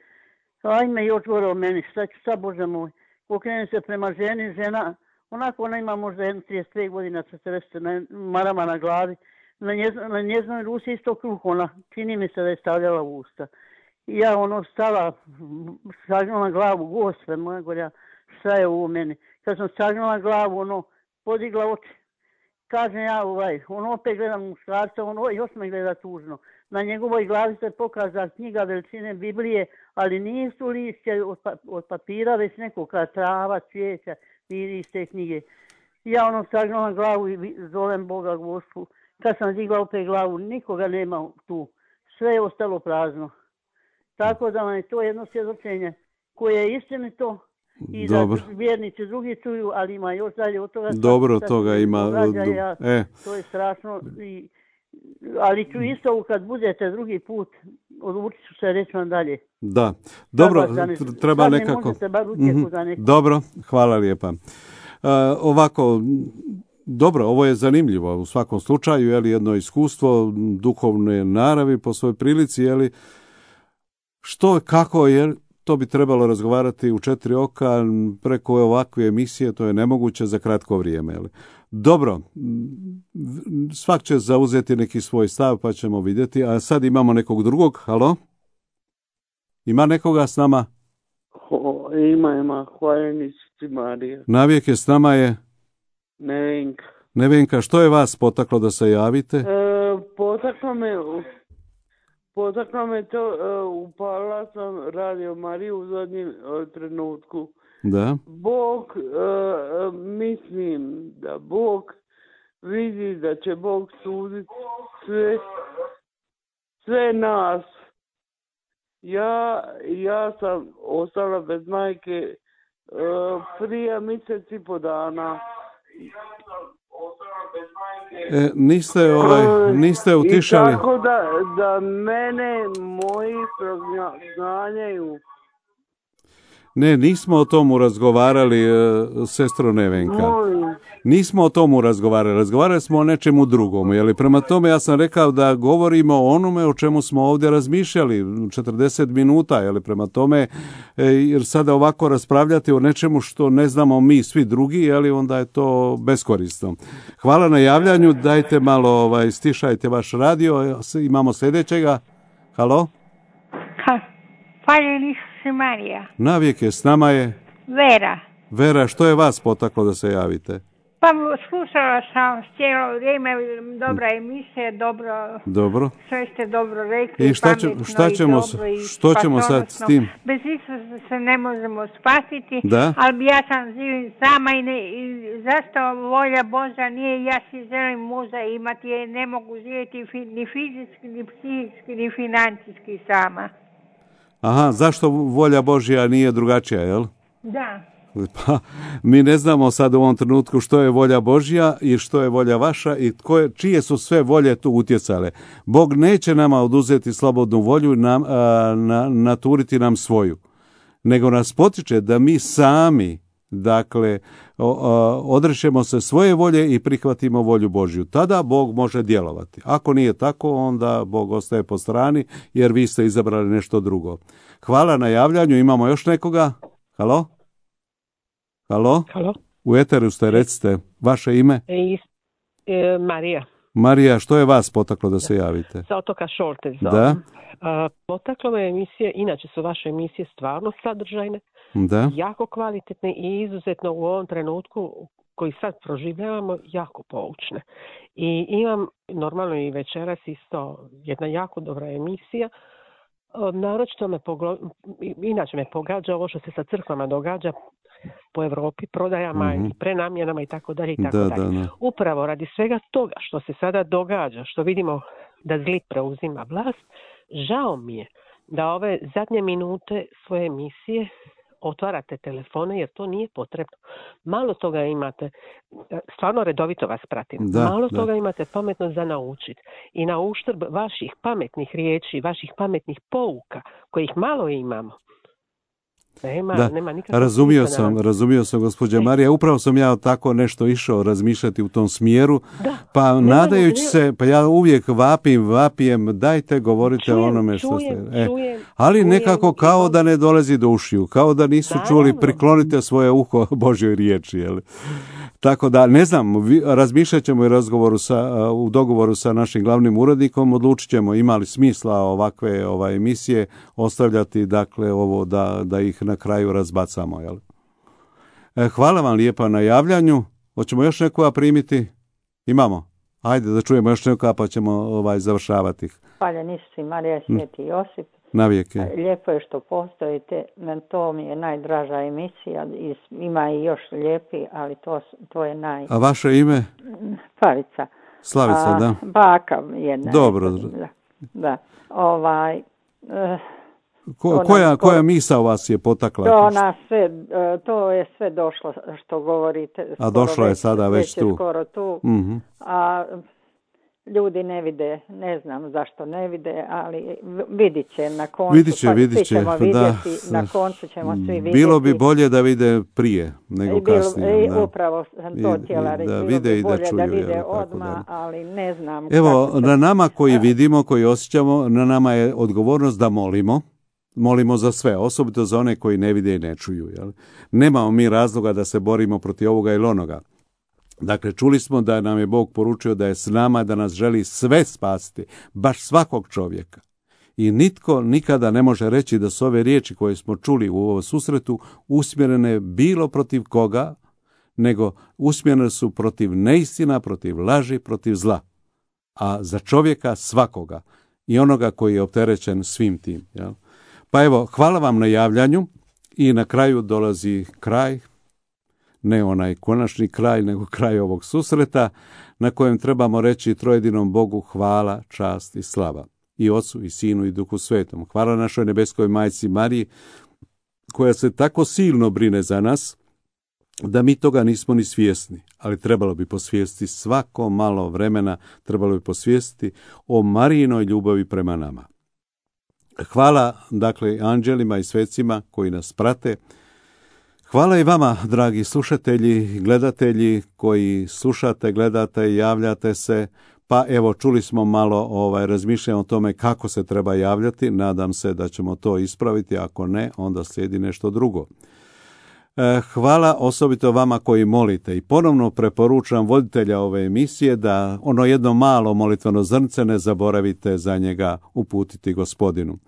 Ajme još gore o meni, šta ću sad, Bože moj. Okrene se prema ženi, žena, onako ona ima možda jedno trideset pet godina, četrdeset na marama na glavi. Na, njez, na njeznoj ruci isto kruh, ona, čini mi se da je stavljala u usta. I ja ono stala, sagnula glavu, Gospe moja gorja, šta je ovo meni. Kad sam sagnula glavu, ono, podigla oči. Kažem ja, ovaj, ono opet gledam muškarca, ono još me gleda tužno. Na njegovoj glavi se pokaza knjiga veličine Biblije, ali nisu lišće od, pa, od papira, već nekoga trava, cvijeća, vidi iz te knjige. Ja ono sagnula glavu i zovem Boga Gospu. Kad sam digla opet glavu, nikoga nema tu. Sve je ostalo prazno. Tako da vam je to jedno svjedočenje koje je istinito i Dobro. Da vjernici drugi čuju, ali ima još dalje od toga. Dobro, toga ima. Ja, e. To je strašno. I, ali ću isto kad budete drugi put, odlučit ću se reći vam dalje. Da, dobro, treba nekako. Mm-hmm. Dobro, hvala lijepa. Uh, ovako, dobro, ovo je zanimljivo u svakom slučaju, je li jedno iskustvo duhovne naravi po svojoj prilici, je li što, kako, jer to bi trebalo razgovarati u četiri oka preko ovakve emisije, to je nemoguće za kratko vrijeme. Je li? Dobro, svak će zauzeti neki svoj stav, pa ćemo vidjeti. A sad imamo nekog drugog, halo? Ima nekoga s nama? Ho, ima, ima, hvaljenici Marija. Navijek je s nama je? Nevenka. Nevenka, što je vas potaklo da se javite? E, potaklo me... Potaklo me to, uh, upala sam Radio Mariju u zadnjem uh, trenutku. Da. Bog, uh, mislim da Bog vidi da će Bog suditi sve, sve nas. Ja, ja sam ostala bez majke uh, prije mjesec i po dana. E, niste, ovaj, niste utišali. I tako da, da mene moji prognanjaju. Ne, nismo o tomu razgovarali, sestro Nevenka. Molim. Nismo o tomu razgovarali, razgovarali smo o nečemu drugom, jeli? Prema tome ja sam rekao da govorimo o onome o čemu smo ovdje razmišljali četrdeset minuta, jeli? Prema tome, jer sada ovako raspravljati o nečemu što ne znamo mi svi drugi, jeli? Onda je to beskorisno. Hvala na javljanju, dajte malo, ovaj, stišajte vaš radio, imamo sljedećega. Halo? Ha, hvaljeni se Marija. Navijek je, s nama je? Vera. Vera, što je vas potaklo da se javite? Pa slušala sam cijelo vrijeme, dobra emisija, dobro, Dobro. sve ste dobro rekli, I šta, će, pametno šta ćemo, i dobro i što ćemo sad s tim? Bez Isusa se ne možemo spasiti, Da. ali ja sam živim sama i, ne, i zašto volja Božja nije, ja si želim muža imati, jer ne mogu živjeti fi, ni fizički, ni psihički, ni financijski sama. Aha, zašto volja Božja nije drugačija, jel? Da. Pa, mi ne znamo sad u ovom trenutku što je volja Božja i što je volja vaša i tko je, čije su sve volje tu utjecale. Bog neće nama oduzeti slobodnu volju i nam, a, na, naturiti nam svoju, nego nas potiče da mi sami, dakle, odrešemo se svoje volje i prihvatimo volju Božju. Tada Bog može djelovati. Ako nije tako, onda Bog ostaje po strani, jer vi ste izabrali nešto drugo. Hvala na javljanju. Imamo još nekoga? Halo? Halo? Halo? U eteru ste, recite. Vaše ime? E, e, Marija. Marija, što je vas potaklo da se javite? Sa otoka Šolte zovem. Da. A, potaklo me emisije, inače su vaše emisije stvarno sadržajne, Da. jako kvalitetne i izuzetno u ovom trenutku koji sad proživljavamo jako poučne. I imam normalno i večeras isto jedna jako dobra emisija. Naročito me poglo... inače me pogađa ovo što se sa crkvama događa po Europi, prodajama mm-hmm. i prenamjenama i tako dalje i tako da, dalje. Da, da. Upravo radi svega toga što se sada događa, što vidimo da zli preuzima vlast, žao mi je da ove zadnje minute svoje emisije otvarate telefone jer to nije potrebno. Malo toga imate, stvarno redovito vas pratim, da, malo da. toga imate pametno za naučiti i na uštrb vaših pametnih riječi, vaših pametnih pouka, kojih malo imamo. Nema, da, nema nikakvog razumio smisla sam, na... razumio sam gospođa Marija, upravo sam ja tako nešto išao razmišljati u tom smjeru, da, pa nema, nadajući nema. se, pa ja uvijek vapim, vapijem, dajte govorite čujem, o onome što čujem, ste... E, čujem, ali čujem, nekako kao čujem. da ne dolazi do ušiju, kao da nisu Naravno. čuli, priklonite svoje uho Božjoj riječi, jel? Tako da, ne znam, vi, razmišljat ćemo i razgovoru sa, u dogovoru sa našim glavnim urednikom, odlučit ćemo ima li smisla ovakve ovaj, emisije ostavljati, dakle, ovo da, da ih na kraju razbacamo, jel? E, hvala vam lijepa na javljanju. Hoćemo još nekoga primiti? Imamo. Ajde da čujemo još nekoga pa ćemo ovaj, završavati. Hvala Nisu, Marija, Sveti Josip. Navijek. Lijepo je što postojite, to mi je najdraža emisija, ima i još lijepi, ali to, to je naj... A vaše ime? Slavica. Slavica, A, da. Baka jedna. Dobro. Da, da. Ovaj... Uh, Ko, koja, koja misao vas je potakla? To, nas sve, to je sve došlo što govorite. A došlo je sada već, već tu. Skoro tu. Mm-hmm. A ljudi ne vide, ne znam zašto ne vide, ali vidit će na koncu. Vidit će, pa vidit će. ćemo vidjeti, da. na koncu ćemo svi vidjeti. Bilo bi bolje da vide prije nego bilo, kasnije. Da. Upravo sam to htjela reći. Da bilo vide bi i da bolje čuju. da vide jel, odmah, da. ali ne znam. Evo, će... na nama koji vidimo, koji osjećamo, na nama je odgovornost da molimo. Molimo za sve, osobito za one koji ne vide i ne čuju. Jel? Nemamo mi razloga da se borimo protiv ovoga ili onoga. Dakle, čuli smo da nam je Bog poručio da je s nama, da nas želi sve spasiti, baš svakog čovjeka. I nitko nikada ne može reći da su ove riječi koje smo čuli u ovom susretu usmjerene bilo protiv koga, nego usmjerene su protiv neistina, protiv laži, protiv zla. A za čovjeka svakoga i onoga koji je opterećen svim tim. Jel? Pa evo, hvala vam na javljanju i na kraju dolazi kraj, ne onaj konačni kraj, nego kraj ovog susreta na kojem trebamo reći trojedinom Bogu hvala, čast i slava. I Ocu, i Sinu, i Duhu Svetom. Hvala našoj nebeskoj majci Mariji, koja se tako silno brine za nas, da mi toga nismo ni svjesni, ali trebalo bi posvijestiti svako malo vremena, trebalo bi posvijestiti o Marijinoj ljubavi prema nama. Hvala, dakle, anđelima i svecima koji nas prate. Hvala i vama, dragi slušatelji, gledatelji koji slušate, gledate i javljate se. Pa evo, čuli smo malo ovaj, razmišljanja o tome kako se treba javljati. Nadam se da ćemo to ispraviti. Ako ne, onda slijedi nešto drugo. Hvala osobito vama koji molite i ponovno preporučam voditelja ove emisije da ono jedno malo molitveno zrnce ne zaboravite za njega uputiti Gospodinu.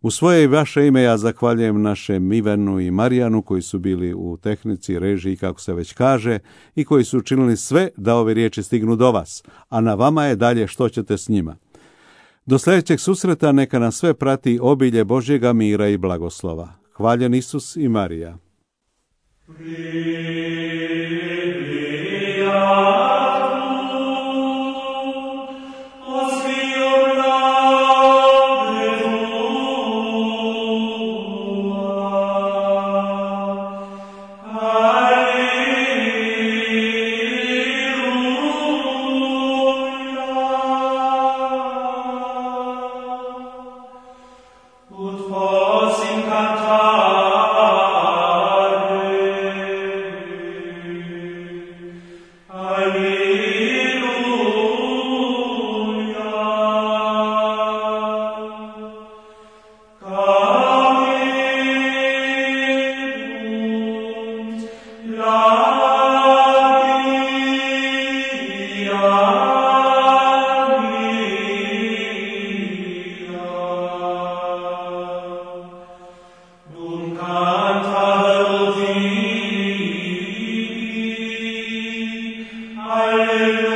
U svoje i vaše ime ja zahvaljujem našem Ivanu i Marijanu koji su bili u tehnici, režiji, kako se već kaže, i koji su učinili sve da ove riječi stignu do vas, a na vama je dalje što ćete s njima. Do sljedećeg susreta neka nas sve prati obilje Božjega mira i blagoslova. Hvaljen Isus i Marija. Alleluia.